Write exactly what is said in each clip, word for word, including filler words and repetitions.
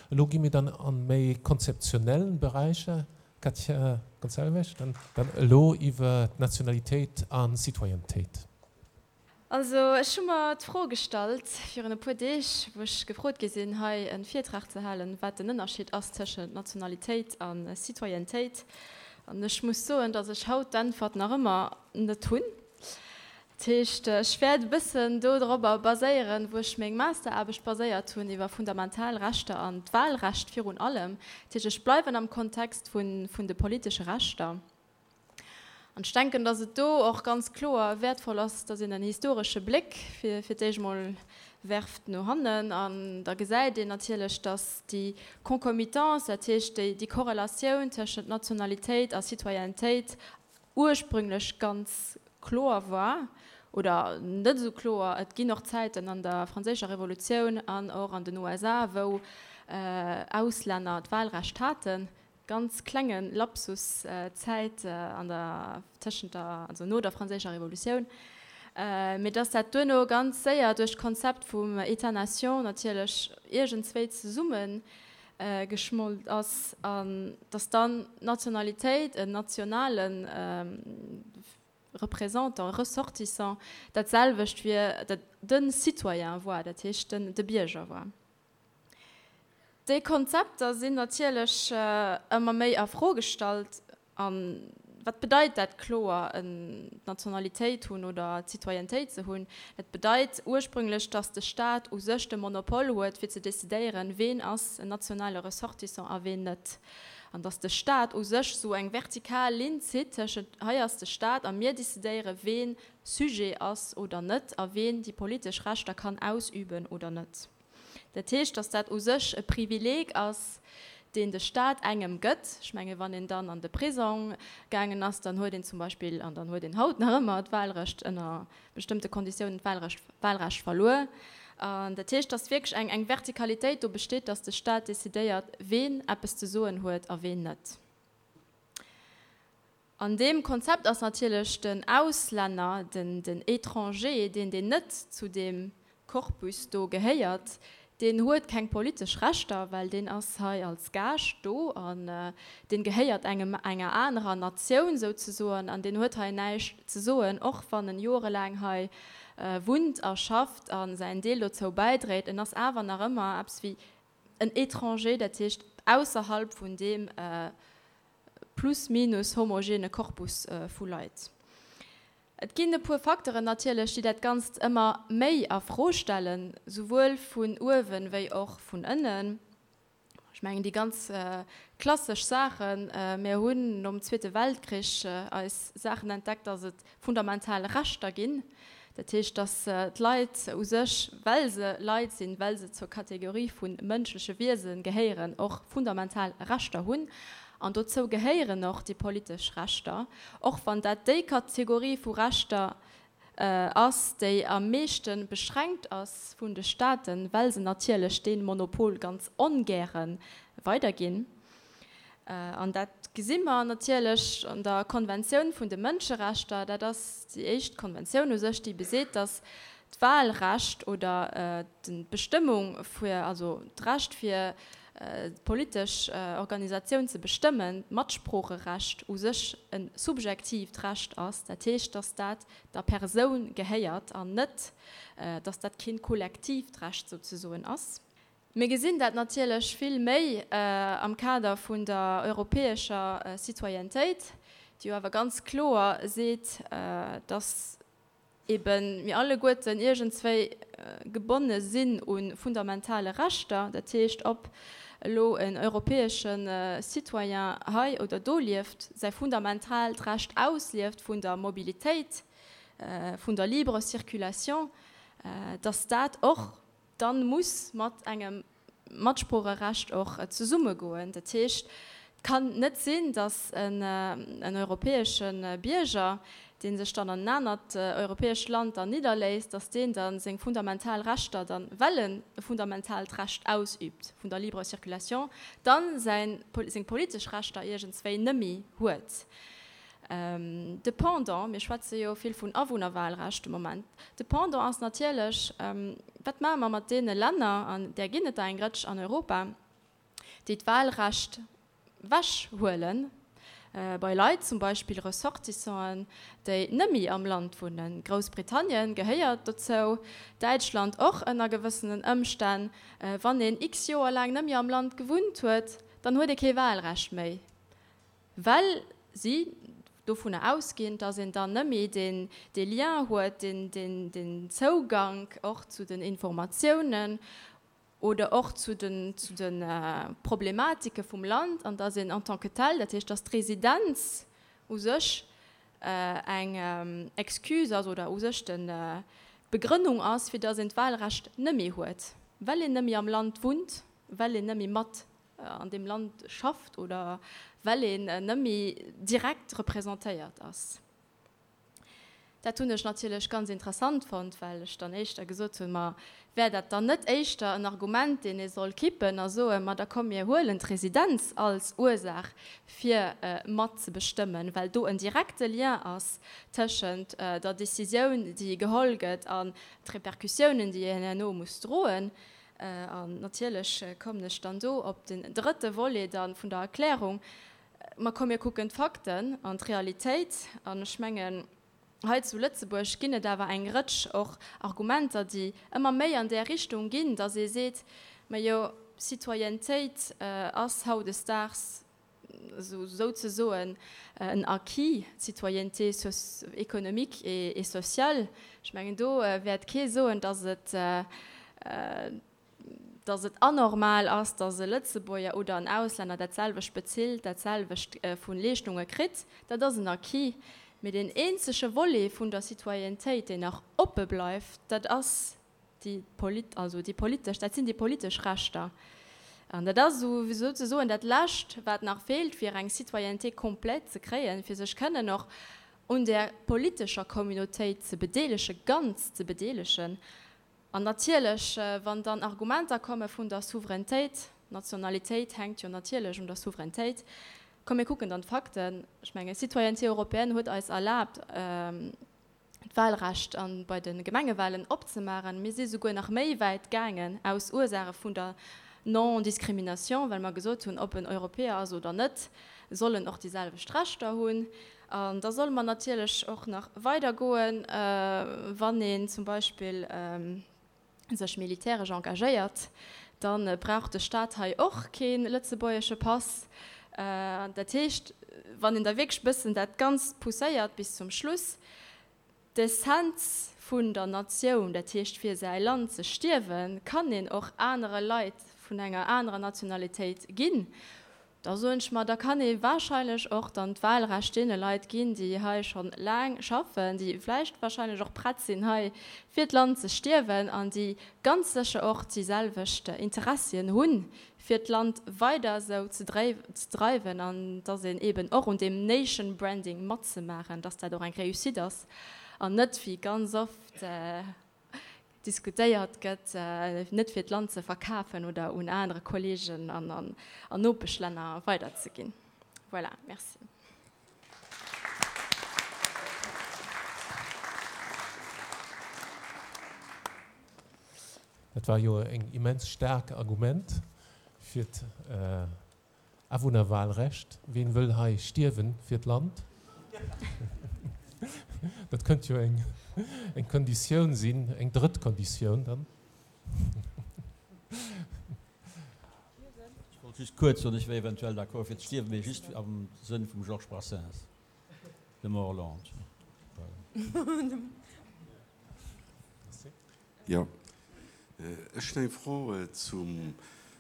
Elo gi mir dann an méi konzeptionell Beräicher. Katja Gonçalves, dann, dann elo iwwer d'Nationalitéit an Citoyennetéit. Also ech hu mer d'Fro gestallt virun e puer Deeg, wou ech gefrot gi sinn, hei e Virtrag ze halen, wat den Ënnerscheed ass tëschent Nationalitéit a Citoyennetéit. An ech muss soen, datt ech haut d'Äntwert nach ëmmer net hunn. Dat heescht, ech wäert e bëssen do dorobber baséieren, wou ech meng Masteraarbecht baséiert hunn, iwwer fundamental Rechter an d'Wahlrecht virun allem. Dat heescht, ech bleiwen am Kontext vun, vun de politesche Rechter. An ech denken, dass et do och ganz kloer wäertvoll ass, dass een en historesche Bléck fir, fir d'éischt mol werft no hannen. An da gesäit een natierlech, dass déi Concomitance, dat heescht déi, déi Korrelatioun tëschent Nationalitéit a Citoyennetéit ursprünglech ganz kloer war oder net esou kloer. Et ginn och Zäiten an der Franséischer Revolutioun an och an den U S A, wou Auslänner d'Wahlrecht haten. Ganz klenge Lapsus Zäit an der tëschent der, also no der Franséischer Revolutioun, mee dass dat duerno ganz séier duerch d'Konzept vum État-nation natierlech iergendswéi zesumme geschmolt ass an dass dann d'Nationalitéit, en nationale Représentant, Ressortissant, dat selwecht wier de Citoyen war, dat heescht den de Bierger war. Déi Konzepter sinn natierlech ëmmer méi a Fro gestallt. A wat bedeit dat kloer, d'Nationalitéit hunn oder d'Citoyennetéit ze hunn? Dat bedeit ursprünglech, datt de Staat u sech de Monopol huet, fir ze decidéieren, ween ass en nationale Ressortissant a ween net. An datt de Staat u sech esou eng vertikal Linn zitt tëschent, hei ass de Staat a mir decidéieren, ween Sujet ass oder net a ween déi politesch Rechter kann ausüben oder net. Dat heescht, dass dat u sech e Privileeg ass, deen de Staat engem gëtt. Ech menge wann een dann an de Prisong gaangen ass, dann huet een zum Beispill, an dann huet een haut nach ëmmer d'Wahlrecht, ënner bestëmmte Konditiounen d'Wahlrecht, Wahlrecht verluer. An dat heescht, dass wierklech eng, eng Vertikalitéit do besteet, dass de Staat decidéiert, ween eppes ze soen huet a ween net. An deem Konzept ass natierlech den Auslänner, den, den Étranger, deen, deen net zu deem Korpus do gehéiert, deen huet keng politesch Rechter, well deen ass hei als Gaascht do an deen gehéiert engem, enger anerer Natioun souzesoen an deen huet hei näischt ze soen, och wann en jorelaang hei wunnt a schafft a säin Deel dozou bäidréit. En ass awer nach ëmmer eppes wéi en Étranger, dat heescht ausserhalb vun deem plus minus homogene Korpus vu Leit. Et ginn e puer Facteuren natierlech, déi dat Ganzt ëmmer méi a Fro stellen, souwuel vun uewen wéi och vun ënnen. Ech mengen déi ganz klassesch Saachen, mir hunn nom Zweete Weltkrich eis Saachen entdeckt, dass et fundamental Rechter ginn. Dat heescht, dass d'Leit u sech, well se Leit sinn, well se zur Kategorie vu mënschleche Wiese gehéieren, och fundamental Rechter hunn. An dozou gehéieren och déi politesch Rechter, och wann dat déi Kategorie vu Rechter ass, déi am meeschte beschränkt ass vun de Staaten, well se natierlech dee Monopol ganz ongäre weiderginn. An dat gesi mer natierlech an der Konventioun vun de Mënscherechter. Dat ass déi éischt Konventioun u sech, déi beseet, dass d'Wahlrecht oder d'Bestëmmung fir, also d'Recht fir d'politesch Organisatioun ze bestëmmen, d'Matsproocherecht u sech e subjektiivt Recht ass. Dat heescht, dass dat der Persoun gehéiert an net, dass dat keen kollektiivt Recht souzesoen ass. Mir gesinn dat natierlech vill méi am Kader vun der europäescher Citoyennetéit, déi jo awer ganz kloer seet, dass eben mir alleguerten iergendswéi gebonne sinn u fundamentale Rechter, dat heescht, ob elo en europäesche Citoyen hei oder do lieft, säi fundamentaalt Recht auslieft vun der Mobilitéit, vun der libre Circulation, dass dat och dann muss mat engem Matsproocherecht och zesummegoen. Dat heescht, et kann net sinn, dass en europäesche Bierger, dee sech dann an en anert europäescht Land dann nidderléisst, dass deen da seng fundamental Rechter dann, well en e fundamentaalt Recht ausübt vun der libre Circulation, dann säin, seng politesch Rechter iergendswéi nëmmi huet. De Pendant, mir schwätze jo vill vun Awunnerwahlrecht de Moment, de Pendant ass natierlech, wat maache mer mat deene Länner, an där ginn et der eng Rëtsch an Europa, déi d'Wahlrecht wechhuelen, bei Leit, zum Beispill Ressortissanten, déi nëmmi am Land wunnen. Groussbritannien gehéiert dozou, Däitschland och ënner gewëssenen Ëmstänn. Wann een x Joer laang nëmmi am Land gewunnt huet, dann huet ee kee Wahlrecht méi, well si dovunner ausginn, dass een dann nëmmi deen dee Lien huet, deen deen deen Zougank och zu den Informatiounen oder och zu den zu de Problematike vum Land an dass een en tant que tel, dat heescht, dass d'Residenz u sech eng Excuse ass oder u sech den d'Begrënnung ass, fir dass een d'Wahlrecht nëmmi huet, well een nëmmi am Land wunnt, well een nëmmi mat an deem Land schafft oder well een nëmmi direkt representéiert ass. Dat hunn ech natierlech ganz interessant fonnt, well ech dann éischter gesot hunn, ma wär dat dann net éischter en Argument, deen ee soll kippen a soen, ma da komm mir huelen d'Residenz als Ursaach fir mat ze bestëmmen, well do en direkte Lien ass tëschent der Décisioun, déi geholl gëtt, an d'Repercussiounen, déi een herno muss droen. An natierlech kommen ech dann do op den drëtte Volet dann vun der Erklärung, Ma komm mir kucken d'Fakten an d'Realitéit. An ech mengen, hei zu Lëtzebuerg ginn et awer eng Rëtsch och Argumenter, déi ëmmer méi an där Richtung ginn, dass ee seet, Majo, Citoyennetéit ass hautdesdaags souzesoen en Acquis, d'Citoyenneté économique et sociale. Ech mengen, do wäert kee soen, dass et, dass et anormal ass, dass e Lëtzebuerger oder en Auslänner dat selwecht bezilt, dat selwecht vu Leeschtunge kritt. Dat ass en Acquis. Mee deen eenzege Volet vun der Citoyennetéit, deen nach oppe bleift, dat ass déi polit-, also déi politesch, dat sinn déi politesch Rechter. An dat ass esou souzesoen dat Lescht, wat nach feelt, fir eng Citoyenneté complète ze kréien, fir sech kënnen och un där politescher Communautéit ze bedeelegen, ganz ze bedeelegen. An natierlech, wann dann Argumenter komme vun der Souverainetéit, d'Nationalitéit hänkt jo natierlech un der Souverainetéit, komm mir kucken dann d'Fakten. Ech mengen, d'Citoyenneté européenne huet eis erlaabt, d'Wahlrecht bei de Gemengewahlen opzemaachen. Mir si souguer nach méi wäit gaangen aus Ursaache vun der Non-discrimination, well mer gesot hunn, ob en Europäer ass oder net, soll en och déi selwecht Rechter hunn. An da solle mer natierlech och nach weidergoen, wann een zum Beispill sech militäresch engagéiert, da brauch de Stat hei och kee lëtzebuergesche Pass. Dat heescht, wann een da wierklech e bëssen dat Ganzt pousséiert bis zum Schluss, d'Essenz vun der Natioun, dat heescht fir säi Land ze stierwen, kann een och anere Leit vun enger anerer Nationalitéit ginn. Da soen ech mer, da kann ee wahrscheinlech och dann d'Wahlrecht deene Leit ginn, déi hei scho laang schaffen, déi vläicht wahrscheinlech och prett sinn, hei fir d'Land ze stierwen an déi ganz sécher och déi selwecht Interessien hunn, fir d'Land weider esou ze dreiwen an dass een eeben och un deem Nation Branding matzemaachen, dass dat och eng Réussite ass an net, wéi ganz oft diskutéiert gëtt, net fir d'Land ze verkafen oder un anere Kolleegen an Nopeschlänner weiderzeginn. Voilà, merci. Dat war jo eng immens staark Argument fir d'Awunnerwahlrecht. Ween wëll hei stierwen fir d'Land? Dat kënnt jo eng eng Konditioun sinn, eng drëtt Konditioun dann. Ech wollt just kuerz soen, ech wär eventuell d'accord fir ze stierwen, mee just am Sënn vum Georges Brassens, de Morland. Voilà. Jo, ech hunn eng Fro zum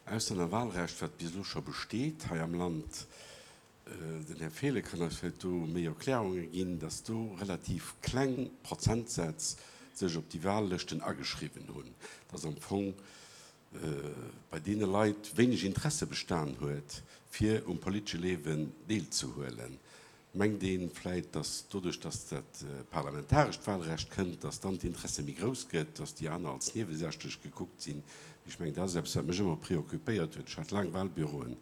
Auslännerwahlrecht, wat bis elo scho besteet hei am Land. Den Här Fehlen kann eis vläicht do méi Erklärunge ginn, dass do relativ kleng Prozentsätz sech op déi Wahllëschten ageschriwwen hunn, dass am Fong bei deene Leit wéineg Interesse bestan huet, fir um politesche Liewen deelzehuelen. Mengt ee vläicht, dass doduerch, dass dat parlamentarescht Wahlrecht kënnt, dass dann d'Interesse méi grouss gëtt, dass déi aner als niewesächlech gekuckt sinn? Ech mengen, dat ass eppes, wat mech ëmmer preoccupéiert huet. Ech hat laang Wahlbüroen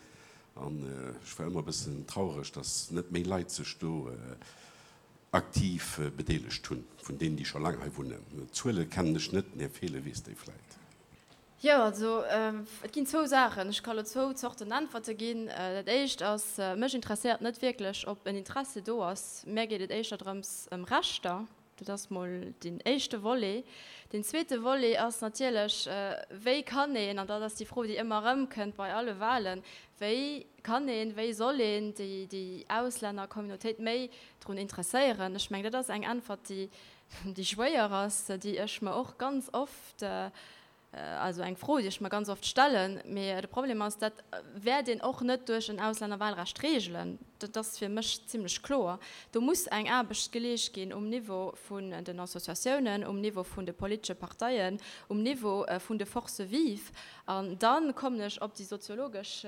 an ech war ëmmer e bëssen traureg, dass net méi Leit sech do aktiv bedeelegt hunn, vun deenen, déi scho laang hei wunnen. D'Zuele kennen ech net, den Här Fehlen weess déi vläicht. Jo, also et ginn zwou Saachen. Ech ka lo zwou Zorten Äntwerte ginn. Dat éischt ass, mech interesséiert net wierklech, ob en Interesse do ass. Mär geet et éischter drëms ëm Rechter. Dat ass mol deen éischte Volet. Deen zweete Volet ass natierlech, wéi kann een, an dat ass déi Fro, déi ëmmer erëmkënnt bei alle Wahlen, wéi kann een, wéi soll een déi, déi Auslännercommunautéit méi drun interesséieren? Ech mengen, dat ass eng Äntwert, déi, déi schwéier ass, déi ech mer och ganz oft, Also eng Fro, déi ech mer ganz oft stellen. Mee de Problem ass, dat wäert een och net duerch en Auslännerwahlrecht regelen. Dat ass fir mech zimlech kloer. Do muss eng Aarbecht geleescht ginn um Niveau vun den Associatiounen, um Niveau vun de politesche Parteien, um Niveau vun de Forces vives. An da kommen ech op déi soziologesch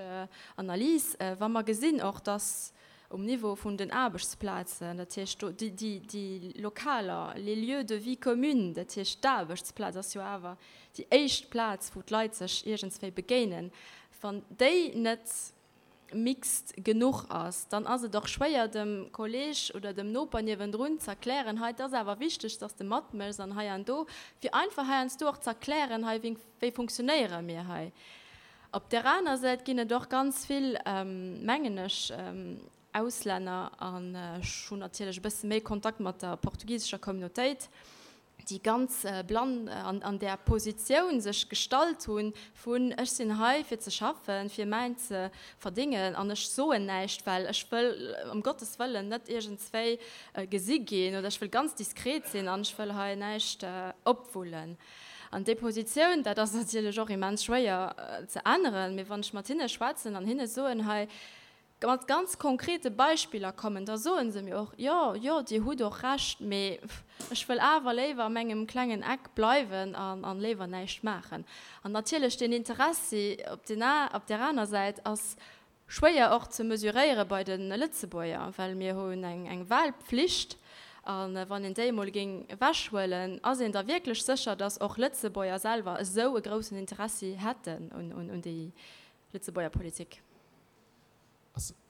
Analys. Wa mer gesinn och, dass um Niveau vun den Aarbechtsplazen, dat heescht do déi, déi, déi Lokaler, les lieux de vie communes, dat heescht d'Aarbechtsplaz ass jo awer déi éischt Plaz, wou d'Leit sech iergendswéi begéinen, wann déi net mixt genuch ass, dann ass et och schwéier dem Kolleeg oder dem Noper niewendrun z'erklären, hei et ass awer wichteg, dass de matméchs an hei an do, fir einfach heiansdo och z'erklären, hei wéi, wéi funktionéiere mir hei. Op där aner Säit ginn et och ganz vill, mengen ech, Auslänner, an ech hunn natierlech e bësse méi Kontakt mat der portugisescher Communautéit, déi ganz blann an där Positioun sech gestallt hunn vun ech sinn hei fir ze schaffen, fir mäin ze verdéngen an ech soen näischt, well ech wëll ëm Gottes Wëllen net iergendswéi gesi ginn oder ech wëll ganz diskret sinn an ech wëll hei näischt opwullen. An déi Positioun, dat ass natierlech och immens schwéier ze änneren, mee wann ech mat hinne schwätzen an hinne soen, hei mat ganz konkrete Beispiller kommen, da soe se mir och, jo, jo, Dir hutt och Recht, mee ech wëll awer léiwer a mengem klengen Eck bleiwen an léiwer näischt maachen. An natierlech deen Interessi op där aner Säit ass schwéier och ze mesuréiere bei de Lëtzebuerger, well mir hunn eng Wahlpflicht a wann een déi emol géing ewechhuelen, ass een da wierklech sécher, datt och Lëtzebuerger selwer esou e groussen Interessi hätten un déi Lëtzebuerger Politik?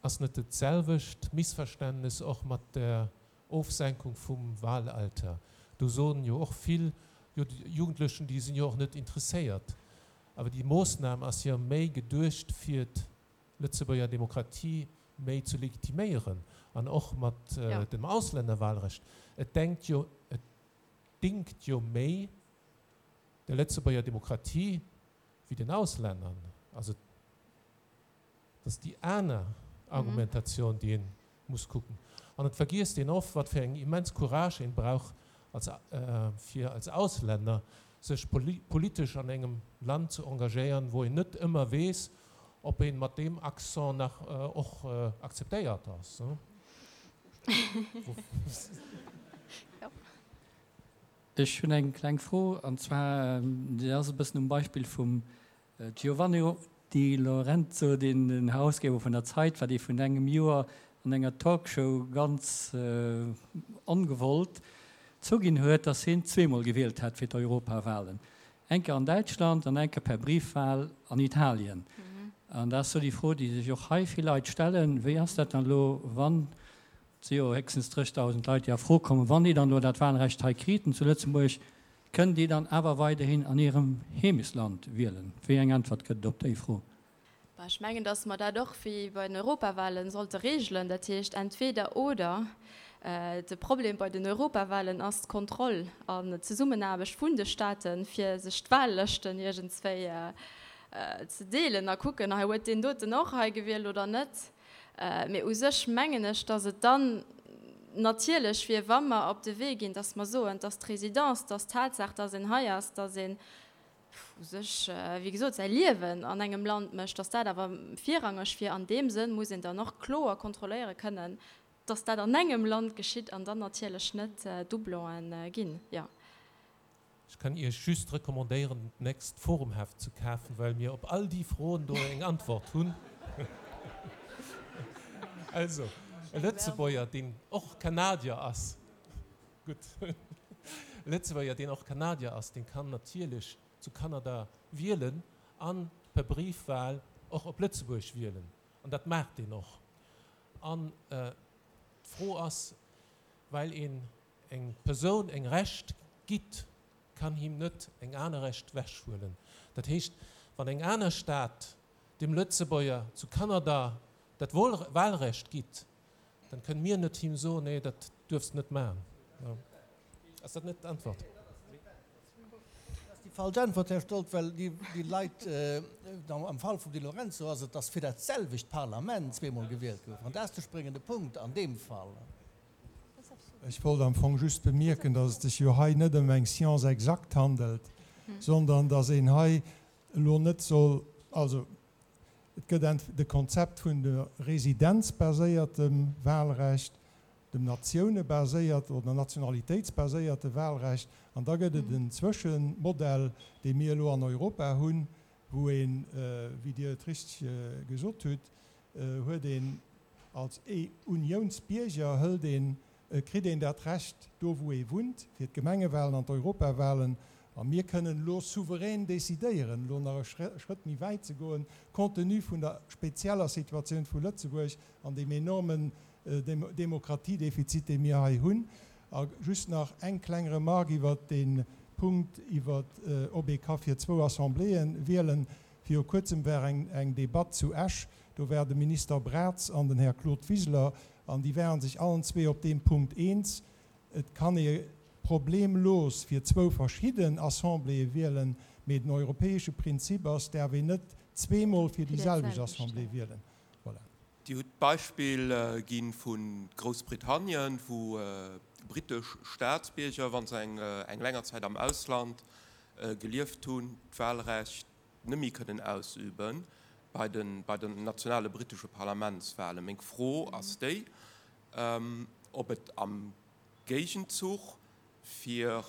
Ass net dat selwecht Missverständnis och mat der Ofsenkung vum Wahlalter? Do soen jo och vill, jo déi Jugendlechen, déi sinn jo och net interesséiert. Awer déi Moossnam ass jo méi geduecht fir d'Lëtzebuerger Demokratie méi ze legitiméieren an och mat dem Auslännerwahlrecht. Et denkt jo, et dingt jo méi der Lëtzebuerger Demokratie wéi den Auslännern. Also dat ass déi aner Argumentatioun, déi ee muss kucken. An et vergiesst een oft, wat fir eng immens Courage een brauch als, fir als Auslänner sech politesch an engem Land ze engagéieren, wou een net ëmmer weess, ob een mat deem Accent nach och akzeptéiert ass. Ech hunn eng kleng Fro, an zwar, déi ass e bëssen um Beispill vum Giovanni Di Lorenzo, deen den Herausgeber vun der Zeit war, dee vun engem Joer an enger Talkshow ganz ongewollt zouginn huet, datt hien zweemol gewielt hätt fir d'Europawahlen, eng Kéier an Däitschland an eng Kéier per Briefwahl an Italien. An dat ass sou déi Fro, déi sech och hei vill Leit stellen, Wéi ass dat dann elo, wann, et si jo héchstens dréchtausend Leit, déi a Fro kommen, wann déi dann elo dat Wahlrecht hei kriten zu Lëtzebuerg, kënnen déi dann awer weiderhin an hirem Heemechtsland wielen? Wéi eng Äntwert gëtt et op déi Fro? Bah, ech mengen, datt mer dat och wéi bei den Europawahlen sollte regelen, dat heescht entweder oder. De Problem bei den Europawahlen ass d'Kontroll an d'Zesummenaarbecht vun de Staaten, fir sech d'Wahllëschten iergendswéi ze deelen a kucken, hei huet deen doten och hei gewielt oder net. Mee u sech mengen ech, datt et dann natierlech wier, wa mer op de Wee ginn, datt mer soen, datt d'Résidence, datt d'Tatsaach, datt een hei ass, datt een u sech, wéi gesot, säi Liewen an engem Land mécht, datt dat awer virrangeg wier. An deem Sënn muss een dann och kloer kontrolléiere kënnen, datt dat an engem Land geschitt an dann natierlech net Doublonen ginn. Jo. Ech kann Iech just recommandéieren, d'nächst Forumheft ze kafen, well mir op all déi Froen do eng Antwort hunn. Also, e Lëtzebuerger, deen och Kanadier ass, gutt, e Lëtzebuerger, deen och Kanadier ass, deen kann natierlech zu Kanada wielen an per Briefwahl och op Lëtzebuerg wielen. An dat maacht deen och. An d'Fro ass, well een eng Persoun eng Recht gitt, kann him net eng aner Recht wechhuelen. Dat heescht, wann eng aner Stad dem Lëtzebuerger zu Kanada dat Wahlrecht gitt, dann kënne mir net him soen, nee, dat duerfs de net maachen. Ass dat net d'Antwort? Dat ass déi falsch Äntwert, Här Stoldt, well déi Leit, am Fall vum Di Lorenzo ass et, dass fir dat selwecht Parlament zweemol gewielt gouf. An dat ass de spréngende Punkt an deem Fall. Ech wollt am Fong just bemierken, dass et sech jo hei net ëm eng Science exacte handelt, sondern dass een hei elo net soll, also et gëtt de Konzept vun de residenzbaséiertem Wahlrecht, dem natiounebasiert oder nationalitéitsbaséierte Wahlrecht, an da gëtt et en Zwëschenmodell, dee mir elo an Europa hunn, wou een, wéi Dir et richteg gesot hutt, huet een als Uniounsbierger hëlt een, kritt een dat Recht do wou ee wunnt, fir d'Gemengewahlen an d'Europawahlen. A mir kënnen elo souverän decidéieren, elo nach e Schrëtt méi wäit ze goen, compte tenu vun der spezieller Situatioun vu Lëtzebuerg an deem enormen Demokratiedefizit, dee mir hei hunn. A just nach eng kleng Remarque iwwert dee Punkt, iwwert ob ee ka fir zwou Assembléeën wielen. Viru Kuerzem war eng Debatt zu Esch, do war de Minister Braz an den Här Claude Wiseler, an déi waren sech allen zwee op deem Punkt eens, Et kann ee problemlos fir zwou verschidden Assembléeë wielen, mee den europäesche Prinzip ass, däerf een net zweemol fir déi selwecht Assemblée wielen. Voilà. Dir hutt d'Beispill gi vu Groussbritannien, wou brittesch Staatsbierger, wa se eng länger Zäit am Ausland gelieft hunn, d'Wahlrecht net méi kënnen ausübe bei den nationale brittesche Parlamentswahlen. Meng Fro ass déi, ob et am Géigenzuch fir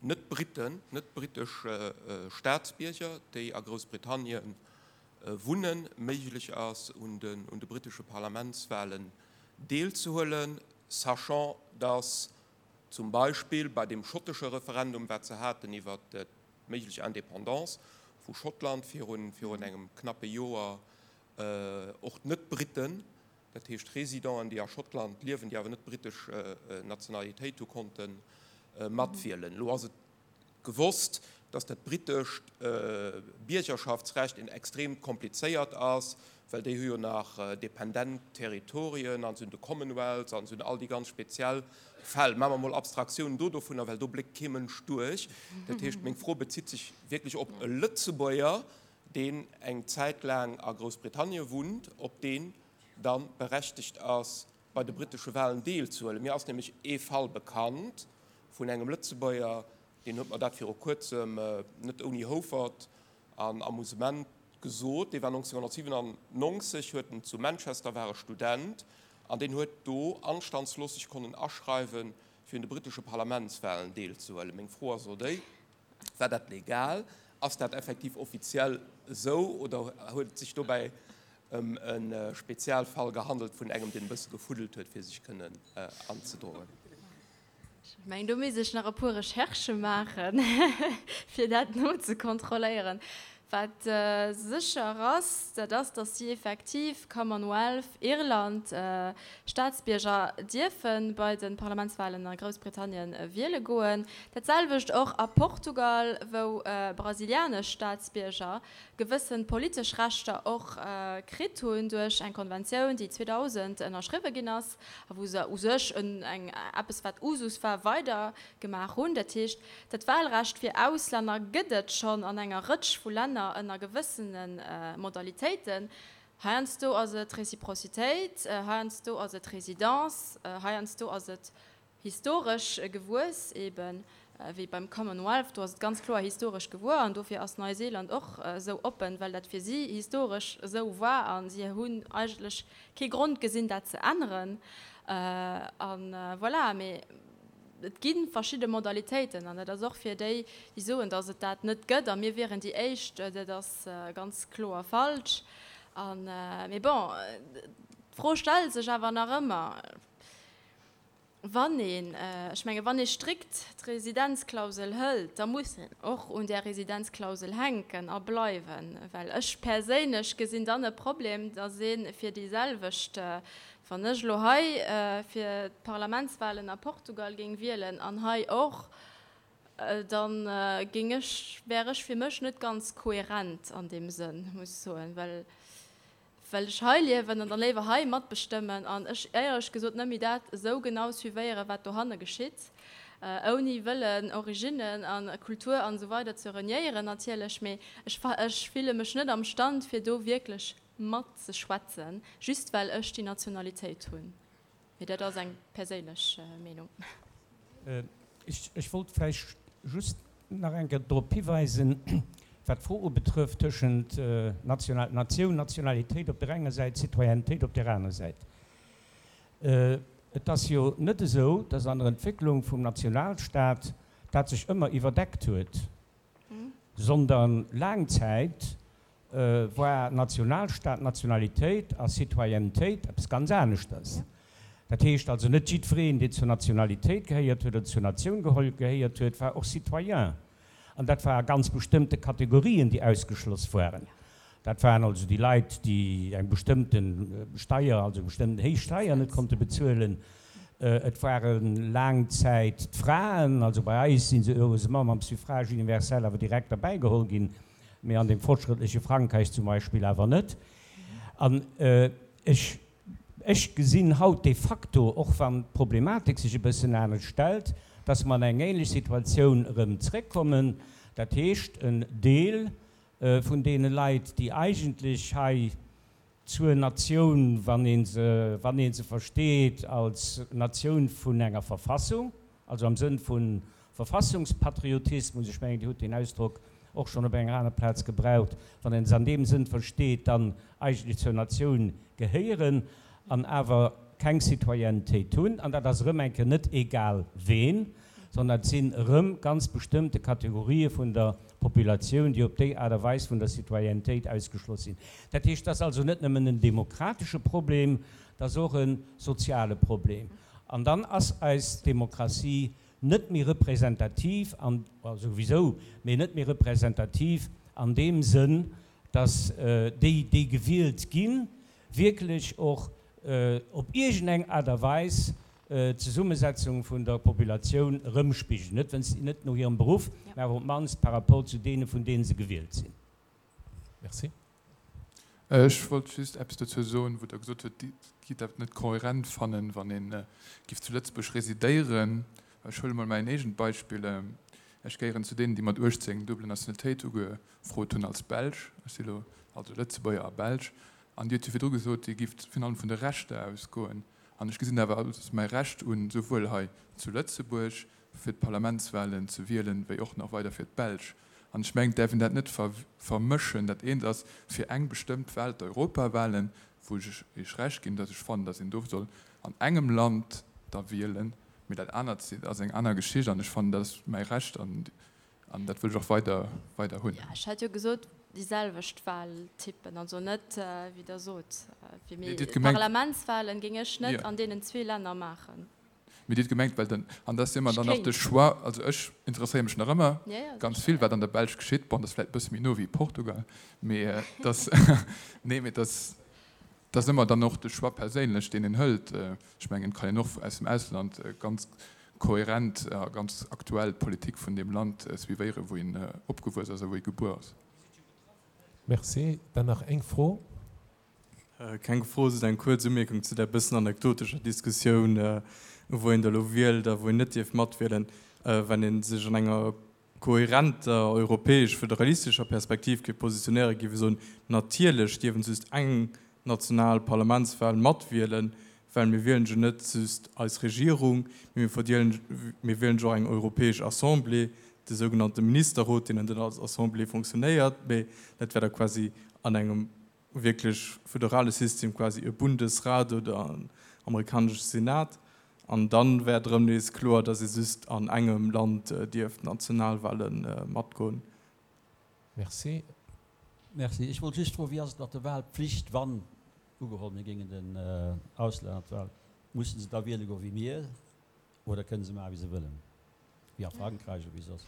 Net-Britten, net-brittesch Staatsbierger, déi a Groussbritannien wunnen, méiglech ass, un de brittesche Parlamentswahlen deelzehuelen, sachant dass zum Beispill bei deem schottesche Referendum, wat se haten iwwert d'méiglech Indépendance vu Schottland virun engem knappe Joer, och d'Net-Britten, dat heescht Residenten, déi a Schottland liewen, déi awer net brittesch Nationalitéit hu, konnte matwielen. Elo ass et gewosst, datt dat brittescht Biergerschaftsrecht en extrem komplizéiert ass, well déi hu jo nach dependent Territorien an se hunn de Commonwealth an se hunn all déi ganz speziell Fäll. Maache mer mol Abstraktioun do dovunner, well do bléckt kee Mënsch duerch. Dat heescht, meng Fro bezitt sech wierklech op e Lëtzebuerger, deen eng Zäit laang a Groussbritannien wunnt, ob deen da berechtegt ass, bei de brittesche Wahlen deelzehuelen. Mir ass nämlech ee Fall bekannt vun engem Lëtzebuerger, deen huet mer dat viru kuerzem net ouni Houfert an Amusement gesot, dee war nonzénhunnertsiwenannonzeg, huet en zu Manchester, war e Student, an deen huet do anstandslos sech konnen aschreiwen, fir un de brittesche Parlamentswahlen deelzehuelen. Meng Fro ass elo déi, War dat legal? Ass dat effektiv offiziell esou oder huet et sech dobäi ëm e Spezialfall gehandelt vun engem, deen e bësse gefuddelt huet, fir sech kënnen anzedroen? Ech mengen, do misst ech nach e puer Recherchë maachen, fir dat nozekontrolléieren. Wat sécher ass, dat ass, datt si effektiv, Commonwealth, Irland, Staatsbierger dierfe bei de Parlamentswalen a Groussbritannien wiele goen. Dat selwecht och a Portugal, wou brasilianesch Staatsbierger gewësse politesch Rechter och kritt hunn duerch eng Konventioun, déi zweedausend ënnerschriwwe ginn ass a wou se u sech eng eppes, wat Usus war, weider gemaach hunn. Dat heescht, dat Wahlrecht fir Auslänner gëtt et schonn an enger Rëtsch vu Länner ënner gewëssene Modalitéiten. Heiansdo ass et Reciprocitéit, heiansdo ass et Résidence, heiansdo ass et historesch gewuess, eben wéi beim Commonwealth, do ass et ganz kloer historesch gewuer an dofir ass Neuseeland och esou oppen, well dat fir si historesch esou war a si hunn eigentlech kee Grond gesinn, dat ze änneren. A voilà, mee et gi verschidde Modalitéiten an dat ass och fir déi, déi soen, datt et dat net gëtt a mir wieren déi Éischt, dat ass ganz kloer falsch. A mee bon, d'Fro stellt sech awer nach ëmmer, wann een, ech menge wann ee strikt d'Residenzklausel hëlt, da muss een och un där Residenzklausel hänken a bleiwen, well ech perséinlech gesinn dann e Problem, datt ee fir déi selwecht, wann ech elo hei fir d'Parlamentswahlen a Portugal géing wielen an hei och, dann géing ech, wär ech fir mech net ganz kohärent an deem Sënn, muss ech soen, well well ech hei liewen an dann léiwer hei matbestëmmen an ech éierlech gesot net méi dat esou genau suivéieren, wat dohanne geschitt, ouni wëllen Originnen a Kultur an esou weider ze reniéieren natierlech, mee ech ech fille mech net am Stand fir do wierklech matzeschwätzen, just well ech déi Nationalitéit hunn. Mee dat ass eng perséinlech Meenung. Ech wollt vläicht just nach eng Kéier drop hiweisen, wat d'Fro ubetrëfft tëschent Natioun, Nationalitéit op där enger Säit, Citoyennetéit op där aner Säit. Et ass jo net esou, dass an der Entwécklung vum Nationalstat dat sech ëmmer iwwerdeckt huet, sondern laang Zäit war Nationalstat, Nationalitéit a Citoyennetéit eppes ganz aneschters. Dat heescht also, net jiddwereen, deen zur Nationalitéit gehéiert huet oder zur Natioun gehéiert huet, war och Citoyen. An dat war a ganz bestëmmte Kategorien, déi ausgeschloss waren. Dat waren also déi Leit, déi eng bestëmmte Steier, also eng bestëmmten héich Steier net konnte bezuelen. Et ware laang Zäit d'Fraen, also bei eis si se heureusement mam Suffrage universel awer direkt derbäigeholl ginn, mee an dem fortschrëttleche Frankräich zum Beispill awer net. An ech Ech gesinn haut de facto, och wann d'Problematik sech e bëssen anescht stellt, dass mer an eng ähnlech Situatioun erëm zréckkommen, dat heescht en Deel vun deene Leit, déi eigentlech hei zur Natioun, wann ee se, wann ee se versteet als Natioun vun enger Verfassung, also am Sënn vu Verfassungspatriotismus, ech mengen, Dir hutt deen Ausdrock och schonn op enger aner Plaz gebraucht, wann een se an deem Sënn versteet, dann eigentlech zur Natioun gehéieren an awer keng Citoyennetéit hunn. An dat ass erëm eng Kéier net egal ween, sondern dat sinn erëm ganz bestëmmte Kategorië vun der Populatioun, déi op déi Aart a Weis vun der Citoyennetéit ausgeschloss sinn. Dat heescht, dat ass also net nëmmen en demokratesche Problem, dat ass och e soziale Problem. An dann ass eis Demokratie net méi representativ an, souwisou, mee net méi representativ an deem Sënn, dass déi, déi gewielt ginn, wierklech och op iergendeng Aart a Weis d'Zesummesetzung vun der Populatioun erëmspigelen, net, net no hirem Beruff, mä awer op d'mannst par rapport zu deene, vun deene se gewielt sinn. Merci. Ech wollt just eppes dozou soen, wou Der gesot hutt, Dir gitt dat net kohärent fannen, wann ee giff zu Lëtzebuerg residéieren. Ech huele mol mäin eegent Beispill, Ech gehéieren zu deenen, déi mat uechtzéng double Nationalitéit ugefrot hunn als Belsch. Ech si lo also Lëtzebuerger a Belsch. An Dir hutt jo virdru gesot, Dir gifft virun allem vun de Rechter ausgoen. An ech gesinn awer als mäi Recht un, souwuel hei zu Lëtzebuerg fir d'Parlamentswahlen ze wielen, wéi och nach weider fir d'Belsch. An ech mengen, et däerf een dat net vermëschen. Dat eent ass fir eng bestëmmt Wahl, d'Europawahlen, wou ech Iech Recht ginn, datt ech fannen, datt een do soll an engem Land da wielen. Mee dat anert ass eng aner Geschicht an ech fannen, dat ass mäi Recht an dat wëll ech och weider, weider hunn. Jo, ech hat jo gesot, déi selwecht Wahltypen, also net, wéi Der sot, fir Mee mee Dir hutt gemengt. Parlamentswahlen géing ech net Jo. an deenen zwee Länner maachen. Mee Dir hutt gemengt, well den, an dat ass jo ëmmer Ech dann nach de kéint. Choix, also ech interesséiere mech nach ëmmer Ja, ja, ganz sécher, vill, ja. wat an der Belsch geschitt. Bon, dat ass vläicht e bësse méi no wéi Portugal, mee dass, nee, mee dass, dat ass ëmmer dann och de Choix perséinlech, deen een hëlt. Ech mengen, et kann een och aus dem Ausland ganz kohärent a ganz aktuell d'Politik vun deem Land suivéieren, wou een opgewuess ass a wou ee gebuer ass. Merci. Dann nach eng Fro. Keng Fro, just eng kuerz Umierkung zu där bëssen anekdotescher Diskussioun, wou een da lo wielt a wou een net dierf matwielen. Wann ee sech an enger kohärenter europäesch-föderalistescher Perspektiv géif positionéieren, géif ee soen, natierlech dierf en just eng national Parlamentswahl matwielen, well mir wielen jo net just eis Regierung, mee mir verdielen, mir wielen jo och eng europäesch Assemblée, de sougenannte Ministerrot, deen dann als Assemblée fonctionnéiert, mee dat wär da quasi an engem wierklech föderale System quasi e Bundesrat oder en amerikanesche Senat. An dann wär et erëm nees kloer, datt ee just an engem Land dierf d'Nationalwahle matgoen. Merci. Merci. Ech wollt just froen, wéi ass et mat der Wahlpflicht, wann, ugeholl mir géingen den Auslänner d'Wahl, mussen se da wiele goen wéi mir oder kënnen se maachen wéi se wëllen, wéi a Frankräich oder wéi soss?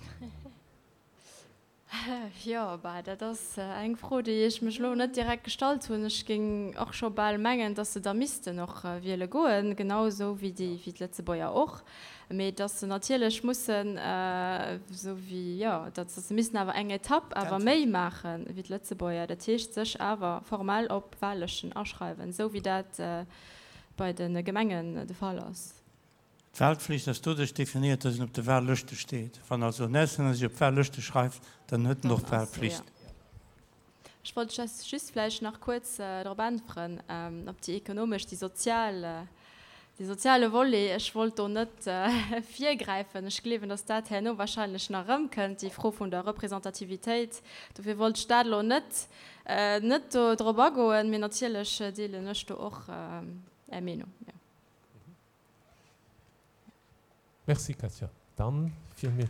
Jo, bah, dat ass eng Fro, déi ech mech elo net direkt gestallt hunn. Ech géing och scho bal mengen, dass se da missten och wiele goen, genau esou wéi déi, wéi d'Lëtzebuerger och. Mee dass se natierlech mussen, esou wéi, jo, datt se missten awer eng Etapp awer méi maache wéi d'Lëtzebuerger, dat heescht sech awer formell op Wahllëschten aschreiwen, esou wéi dat bei de Gemengen de Fall ass. D'Wahlpflicht ass doduerch definiert, dass een op de Wahllëschte steet. Wann also en Auslänner sech op d'Wahllëschte schreift, dann huet en och d'Wahlpflicht. Ech wollt just vläicht nach kuerz drop äntweren, op déi ekonomesch, déi sozial, dee soziale Volet. Ech wollt do net virgräifen. Ech gleewen, dass dat herno wahrscheinlech nach erëmkënnt, déi Fro vun der Representativitéit. Dofir wollt ech dat elo net, net do drop agoen. Mee natierlech deelen ech do och Är Meenung, jo. Merci Katja. Dann fir mir.